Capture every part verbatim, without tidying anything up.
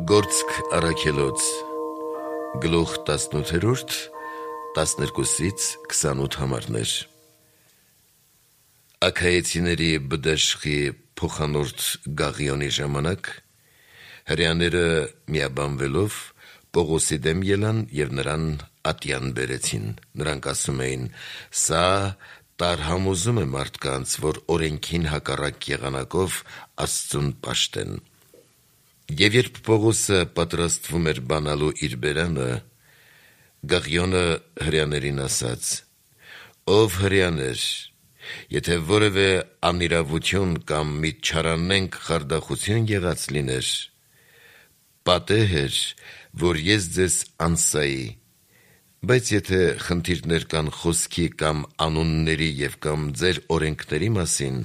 Գործք առաքելոց գլուխ տասնութերորդ տասներկուսից քսանութ համարներ Աքայեցիների բդաշխի փոխանորդ Գաղիոնի ժամանակ հրեաները միաբանվելով Պողոսի դեմ ելան և նրան ատյան բերեցին. նրանք ասում էին. «Սա տարհամոզում է մարդկանց, որ օրենքին հակառակ եղանակով Աստծուն պաշտեն»։ Եվ երբ Պողոսը պատրաստվում էր բանալու իր բերանը, Գաղիոնը հրեաներին ասաց. «Ով հրեաներ, եթե որևէ անիրավություն կամ մի չարանենգ խարդախություն եղած լիներ, պատեհ էր, որ ես ձեզ անսայի, բայց եթե խնդիրներ կան խոսքի կամ անունների և կամ ձեր օրենքների մասին,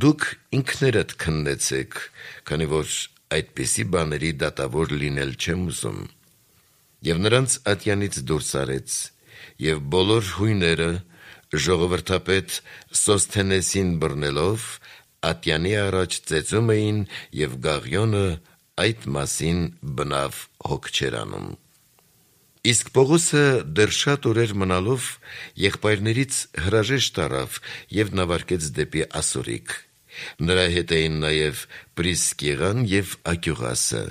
դուք ինքներդ քննեցեք, քանի որ այդպիսի բաների դատավոր լինել չեմ ուզում»։ Եվ նրանց ատյանից դուրս արեց, և բոլոր հույները ժողովրդապետ Սոսթենեսին բռնելով ատյանի առաջ ծեծում էին, և Գաղիոնը այդ մասին բնավ հոգ չէր անում։ Իսկ Պողոսը դեռ շատ օրեր մնալով եղբայրներից հրաժեշտ առավ և նավարկեց դեպի Ասորիկ. նրա հետ էին նաև Պրիսկիլան և Ակյուղասը։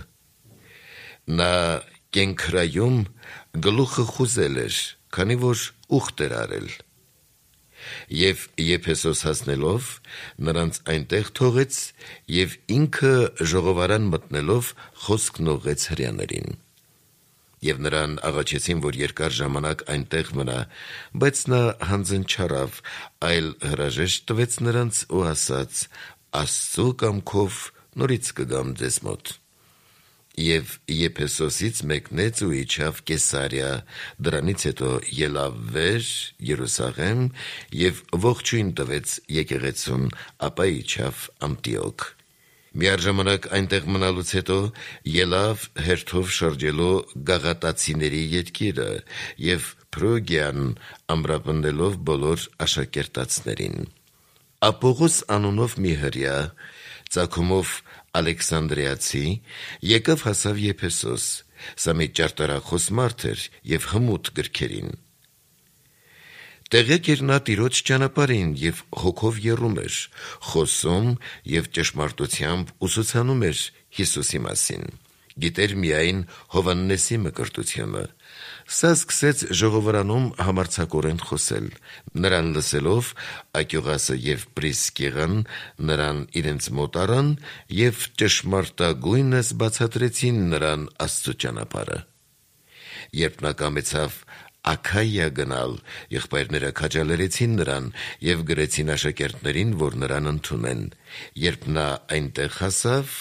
Նա կենքրայում գլուխը խուզել էր, քանի որ ուխտ էր արել։ Եվ Եփեսոս հասնելով նրանց այնտեղ թողեց և ինքը ժողովարան մտնելով խոսքն ուղղեց հրեաներին։ Եվ նրան աղաչեցին, որ երկար ժամանակ այնտեղ մնա, բայց նա հանձն չառավ, այլ հրաժեշտ տվեց նրանց ու ասաց. «Աստծու կամքով նորից կգամ ձեզ մոտ»։ Եվ Եփեսոսից մեկնեց ու իջավ Կեսարիա, դրանից հետո ելավ վեր Երուսաղեմ և ողջույն տվեց եկեղեցուն, ապա իջավ Անտիոք։ Միառժամանակ այնտեղ մնալուց հետո ելավ հերթով շրջելու Գաղատացիների երկիրը և Փրոգիան ամրապնդելով բոլոր աշակերտածներին։ Ապողոս անունով մի հրեա, ծագումով Ալեքսանդրիացի, եկավ հասավ Եփեսոս. սա մի ճարտարախոս մարդ էր և հմուտ գրքերին։ Տեղեկ էր նա Տիրոջ ճանապարհին և հոգով եռում էր, խոսում և ճշմարտությամբ ուսուցանում էր Հիսուսի մասին։ Գիտեր միայն Հովհաննեսի մկրտությունը։ Սա սկսեց ժողովարանում համարձակորեն խոսել։ Նրան լսելով Ակյուղասը և Պրիսկիլան նրան իրենց մոտ առան և ճշմարտագույնս բացատրեցին նրան Աստծու ճանապարհը։ Երբ նա կամեցավ Աքայիա գնալ, եղբայրները քաջալերեցին նրան և գրեցին աշակերտներին, որ նրան ընդունեն։ Երբ նա այնտեղ հասավ,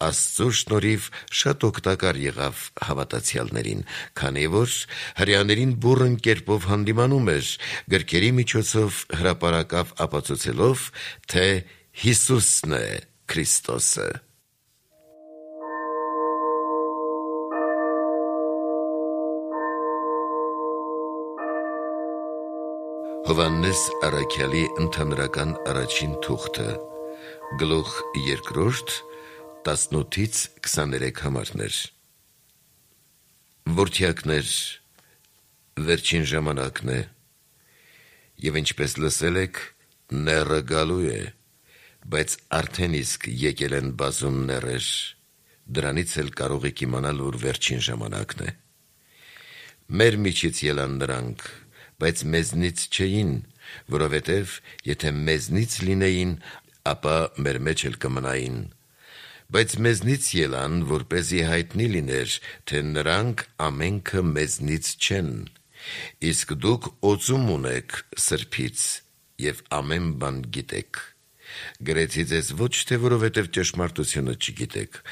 Աստծու շնորհիվ շատ օգտակար եղավ հավատացյալներին, քանի որ հրեաներին բուռն կերպով հանդիմանում էր, գրքերի միջոցով հրապարակավ ապացուցելով, թե Հիսուսն է Քրիստոսը։ Հովհաննես առաքյալի ընդհանրական առաջին թուղթը, գլուխ երկրորդ, տասնութից քսաներեք համարներ։ Որդյակներ, վերջին ժամանակն է, և ինչպես լսել եք, նեռը գալու է, բայց արդեն իսկ եկել են բազում նեռեր, դրանից էլ կարող եք իմանալ, որ վերջին ժամանակն է։ Մեր միջից ելան նրանք, բայց մեզնից չէին, որովհետև եթե մեզնից լինեին, ապա մեր մեջ էլ կմնային։ Բայց մեզնից ելան, որպեսզի հայտնի լիներ, թե նրանք ամենքը մեզնից չեն։ Իսկ դուք օծում ունեք սրբից և ամեն բան գիտեք։ Գրեցի ձեզ ոչ թե որովհետև ճշմարտությունը չգիտեք,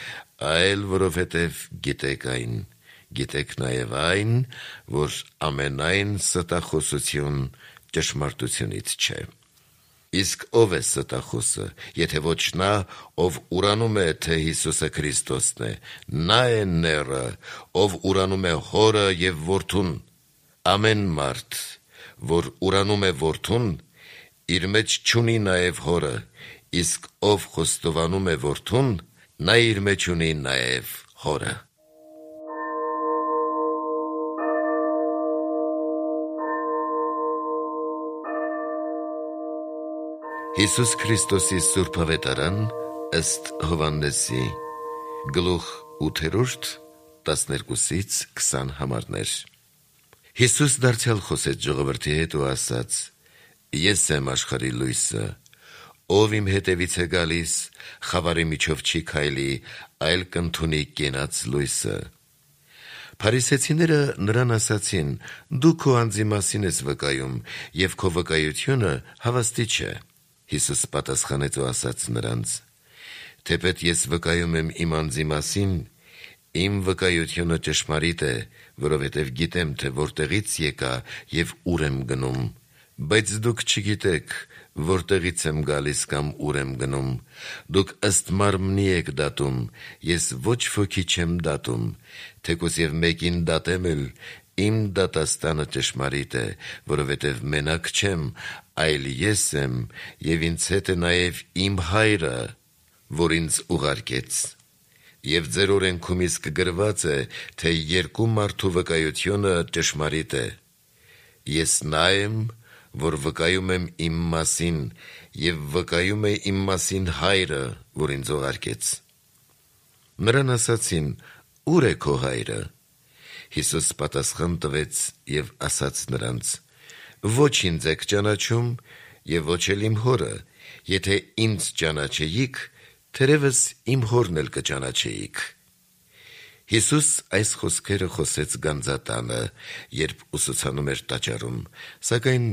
այլ որովհետև գիտեք այն, գիտեք նաև այն, որ ամենայն ստախոսություն ճշմարտությունից չէ։ Իսկ ով է ստախոսը, եթե ոչ նա, ով ուրանում է, թե Հիսուսը Քրիստոսն է, նա է նեռը, ով ուրանում է Հորը և Որդուն։ Ամեն մարդ, որ ուրանում է Որդուն, իր մեջ չունի նաև Հորը, իսկ ով խոստովանում է Որդուն, նա իր մեջ ունի նաև Հորը։ Հիսուս Քրիստոսի Սուրբ Ավետարան ըստ Հովհաննեսի, գլուխ ութերորդ, տասներկուսից քսան համարներ։ Հիսուս դարձյալ խոսեց ժողովրդի հետ ու ասաց. «Ես եմ աշխարհի լույսը, ով իմ հետևից է գալիս, խավարի միջով չի քայլի, այլ կընդունի կենաց լույսը»։ Փարիսեցիները նրան ասացին. «Դու քո անձի մասին ես վկայում, և քո վկայությունը հավաստի չէ»։ Հիսուս պատասխանեց ու ասաց նրանց. «Թեպետ ես վկայում եմ իմ անձի մասին, իմ վկայությունը ճշմարիտ է, որովհետև գիտեմ, թե որտեղից եկա և ուր եմ գնում, բայց դուք չգիտեք, որտեղից եմ գալիս կամ ուր եմ գնում։ Դուք ըստ մարմնի եք դատում, ես ոչ ոքի չեմ դատում, թեկուզ և մեկին դատեմ էլ, իմ դատաստանը ճշմարիտ է, որովհետև մենակ չեմ, այլ ես եմ, և ինձ հետ է նաև իմ Հայրը, որ ինձ ուղարկեց։ Եվ ձեր օրենքում իսկ գրված է, թե երկու մարդու վկայությունը ճշմարիտ է։ Ես նա եմ, որ վկայում եմ իմ մասին, և վկայում է իմ մասին Հայրը, որ ինձ ուղարկեց»։ Նրան ասացին. «Ո՞ւր է քո Հայրը»։ Հիսուս պատասխան տվեց և ասաց նրանց. «Ոչ ինձ եք ճանաչում և ոչ էլ իմ Հորը. եթե ինձ ճանաչեիք, թերևս իմ Հորն էլ կճանաչեիք»։ Հիսուս այս խոսքերը խոսեց գանձատանը, երբ ուսուցանում էր տաճարում, սակայն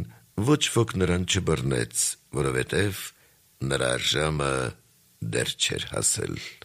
ոչ ոք նրան չբռնեց, որովհետև նրա ժամը դեռ չէր հասել։